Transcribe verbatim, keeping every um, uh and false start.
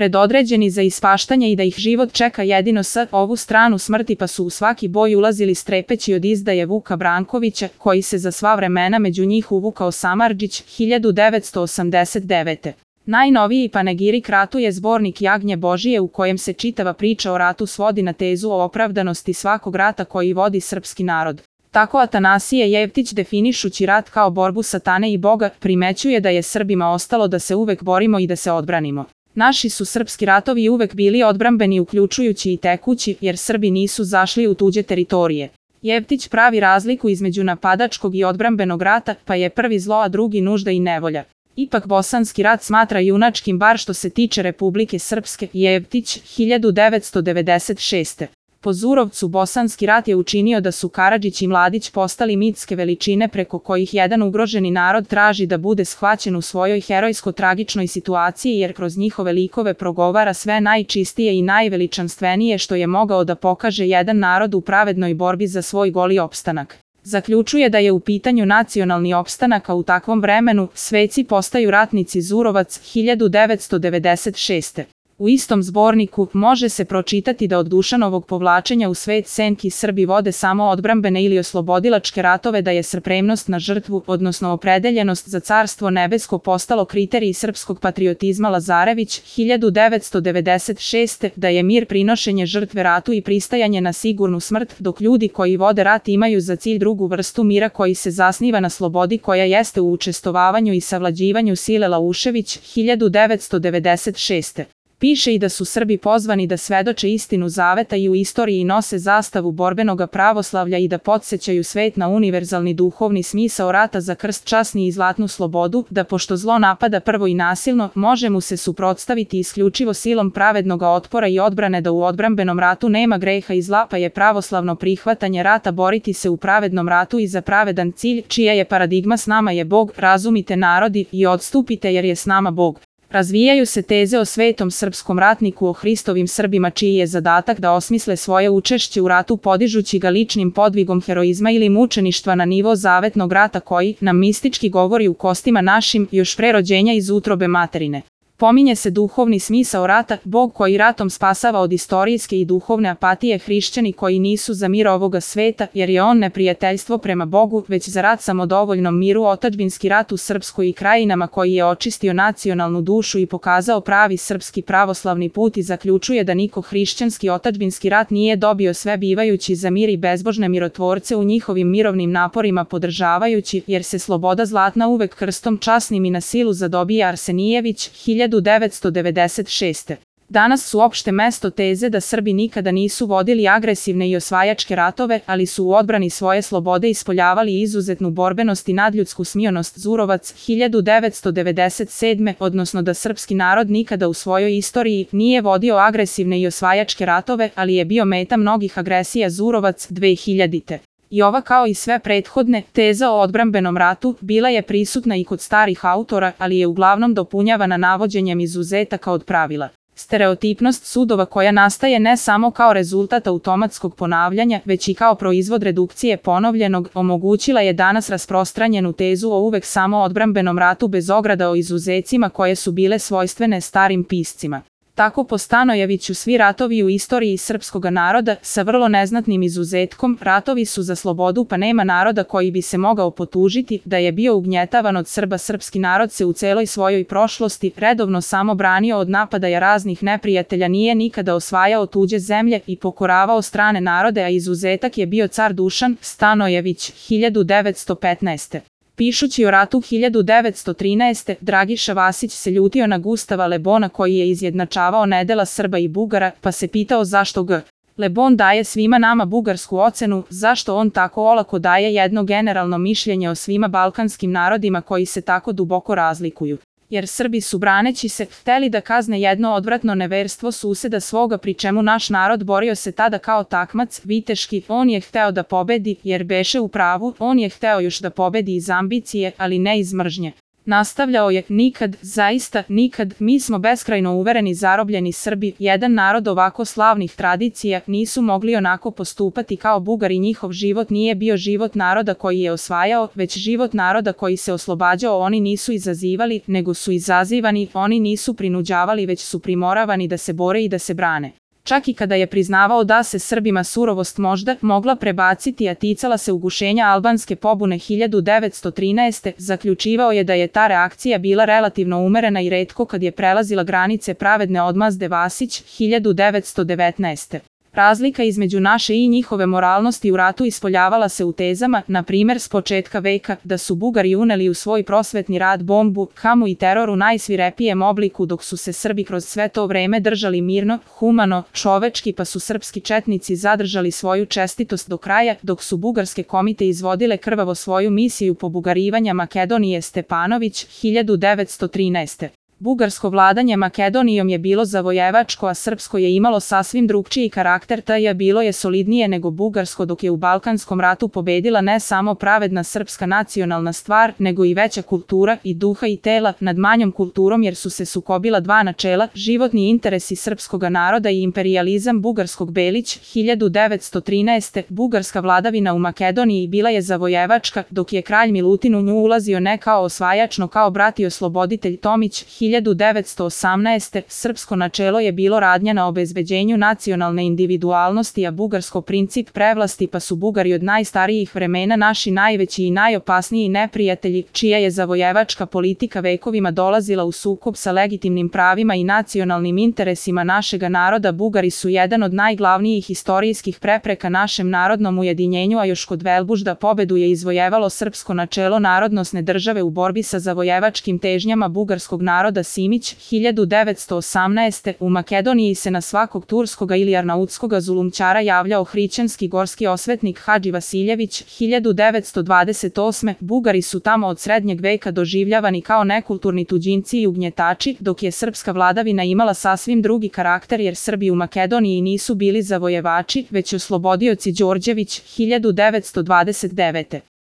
predodređeni za ispaštanje i da ih život čeka jedino s ovu stranu smrti, pa su u svaki boj ulazili strepeći od izdaje Vuka Brankovića, koji se za sva vremena među njih uvukao Samardžić, hiljadu devetsto osamdeset devete. Najnoviji panegirik ratu je zbornik Jagnje Božije, u kojem se čitava priča o ratu svodi na tezu o opravdanosti svakog rata koji vodi srpski narod. Tako Atanasije Jevtić, definišući rat kao borbu satane i Boga, primećuje da je Srbima ostalo da se uvek borimo i da se odbranimo. Naši su srpski ratovi uvek bili odbrambeni, uključujući i tekući, jer Srbi nisu zašli u tuđe teritorije. Jevtić pravi razliku između napadačkog i odbrambenog rata, pa je prvi zlo, a drugi nužda i nevolja. Ipak bosanski rat smatra junačkim, bar što se tiče Republike Srpske. Jevtić, hiljadu devetsto devedeset šeste. Po Zurovcu, bosanski rat je učinio da su Karadžić i Mladić postali mitske veličine preko kojih jedan ugroženi narod traži da bude shvaćen u svojoj herojsko-tragičnoj situaciji, jer kroz njihove likove progovara sve najčistije i najveličanstvenije što je mogao da pokaže jedan narod u pravednoj borbi za svoj goli opstanak. Zaključuje da je u pitanju nacionalni opstanak, a u takvom vremenu sveci postaju ratnici. Zurovac, hiljadu devetsto devedeset šeste. U istom zborniku može se pročitati da od Dušanovog povlačenja u svet senki Srbi vode samo odbrambene ili oslobodilačke ratove, da je spremnost na žrtvu, odnosno opredeljenost za carstvo nebesko, postalo kriterij srpskog patriotizma. Lazarević, hiljadu devetsto devedeset šeste. Da je mir prinošenje žrtve ratu i pristajanje na sigurnu smrt, dok ljudi koji vode rat imaju za cilj drugu vrstu mira koji se zasniva na slobodi, koja jeste u učestvovavanju i savlađivanju sile. Laušević, hiljadu devetsto devedeset šeste. Piše i da su Srbi pozvani da svedoče istinu zaveta i u istoriji nose zastavu borbenoga pravoslavlja i da podsjećaju svet na univerzalni duhovni smisao rata za krst časni i zlatnu slobodu, da pošto zlo napada prvo i nasilno, može mu se suprotstaviti isključivo silom pravednoga otpora i odbrane, da u odbrambenom ratu nema greha i zla, pa je pravoslavno prihvatanje rata boriti se u pravednom ratu i za pravedan cilj, čija je paradigma s nama je Bog, razumite narodi i odstupite jer je s nama Bog. Razvijaju se teze o svetom srpskom ratniku, o Hristovim Srbima čiji je zadatak da osmisle svoje učešće u ratu podižući ga ličnim podvigom heroizma ili mučeništva na nivo zavetnog rata koji nam mistički govori u kostima našim još pre rođenja iz utrobe materine. Pominje se duhovni smisao rata, Bog koji ratom spasava od istorijske i duhovne apatije, hrišćani koji nisu za mir ovoga sveta, jer je on neprijateljstvo prema Bogu, već za rat samodovoljnom miru, otadžbinski rat u Srpskoj i krajinama koji je očistio nacionalnu dušu i pokazao pravi srpski pravoslavni put, i zaključuje da niko hrišćanski otadžbinski rat nije dobio sve bivajući za mir i bezbožne mirotvorce u njihovim mirovnim naporima podržavajući, jer se sloboda zlatna uvek krstom časnim i na silu zadobija. Arsenijević, hiljadu devetsto devedeset šeste. Danas su opšte mesto teze da Srbi nikada nisu vodili agresivne i osvajačke ratove, ali su u odbrani svoje slobode ispoljavali izuzetnu borbenost i nadljudsku smionost. Zurovac, hiljadu devetsto devedeset sedme. Odnosno da srpski narod nikada u svojoj istoriji nije vodio agresivne i osvajačke ratove, ali je bio meta mnogih agresija. Zurovac, dve hiljadite. I ova, kao i sve prethodne, teza o odbrambenom ratu bila je prisutna i kod starih autora, ali je uglavnom dopunjavana navođenjem izuzetaka od pravila. Stereotipnost sudova, koja nastaje ne samo kao rezultat automatskog ponavljanja, već i kao proizvod redukcije ponovljenog, omogućila je danas rasprostranjenu tezu o uvek samo odbrambenom ratu bez ograda o izuzecima koje su bile svojstvene starim piscima. Tako po Stanojeviću svi ratovi u istoriji srpskoga naroda, sa vrlo neznatnim izuzetkom, ratovi su za slobodu, pa nema naroda koji bi se mogao potužiti da je bio ugnjetavan od Srba. Srpski narod se u celoj svojoj prošlosti redovno samo branio od napadaja raznih neprijatelja, nije nikada osvajao tuđe zemlje i pokoravao strane narode, a izuzetak je bio car Dušan. Stanojević, hiljadu devetsto petnaeste. Pišući o ratu hiljadu devetsto trinaeste. Dragiša Vasić se ljutio na Gustava Le Bona koji je izjednačavao nedela Srba i Bugara, pa se pitao zašto G. Le Bon daje svima nama bugarsku ocenu, zašto on tako olako daje jedno generalno mišljenje o svima balkanskim narodima koji se tako duboko razlikuju. Jer Srbi su, braneći se, hteli da kazne jedno odvratno neverstvo suseda svoga, pri čemu naš narod borio se tada kao takmac, viteški. On je hteo da pobedi, jer beše u pravu, on je hteo još da pobedi iz ambicije, ali ne iz mržnje. Nastavljao je, nikad, zaista, nikad, mi smo beskrajno uvereni zarobljeni Srbi, jedan narod ovako slavnih tradicija, nisu mogli onako postupati kao Bugari, njihov život nije bio život naroda koji je osvajao, već život naroda koji se oslobađao, oni nisu izazivali, nego su izazivani, oni nisu prinuđavali, već su primoravani da se bore i da se brane. Čak i kada je priznavao da se Srbima surovost možda mogla prebaciti, a ticala se ugušenja albanske pobune hiljadu devetsto trinaeste. zaključivao je da je ta reakcija bila relativno umerena i retko kad je prelazila granice pravedne odmazde Vasić hiljadu devetsto devetnaeste. Razlika između naše i njihove moralnosti u ratu ispoljavala se u tezama, na primjer s početka veka, da su Bugari uneli u svoj prosvetni rad bombu, hamu i teror u najsvirepijem obliku, dok su se Srbi kroz sve to vreme držali mirno, humano, čovečki, pa su srpski četnici zadržali svoju čestitost do kraja, dok su bugarske komite izvodile krvavo svoju misiju pobugarivanja Makedonije. Stepanović hiljadu devetsto trinaeste. Bugarsko vladanje Makedonijom je bilo zavojevačko, a srpsko je imalo sasvim drugčiji karakter, taj je bilo je solidnije nego bugarsko, dok je u Balkanskom ratu pobedila ne samo pravedna srpska nacionalna stvar, nego i veća kultura i duha i tela nad manjom kulturom, jer su se sukobila dva načela, životni interesi srpskoga naroda i imperijalizam bugarskog. Belić hiljadu devetsto trinaeste. Bugarska vladavina u Makedoniji bila je zavojevačka, dok je kralj Milutin u nju ulazio ne kao osvajač, no kao brat i osloboditelj. Tomić hiljadu devetsto osamnaeste. Srpsko načelo je bilo radnja na obezbeđenju nacionalne individualnosti, a bugarsko princip prevlasti, pa su Bugari od najstarijih vremena naši najveći i najopasniji neprijatelji, čija je zavojevačka politika vekovima dolazila u sukob sa legitimnim pravima i nacionalnim interesima našega naroda. Bugari su jedan od najglavnijih istorijskih prepreka našem narodnom ujedinjenju, a još kod Velbužda pobedu je izvojevalo srpsko načelo narodnosne države u borbi sa zavojevačkim težnjama bugarskog naroda. Simić hiljadu devetsto osamnaeste. U Makedoniji se na svakog turskoga ili arnautskoga zulumčara javljao hrišćanski gorski osvetnik Hadži Vasiljević hiljadu devetsto dvadeset osme. Bugari su tamo od srednjeg veka doživljavani kao nekulturni tuđinci i ugnjetači, dok je srpska vladavina imala sasvim drugi karakter, jer Srbi u Makedoniji nisu bili zavojevači, već oslobodioci. Đorđević hiljadu devetsto dvadeset devete.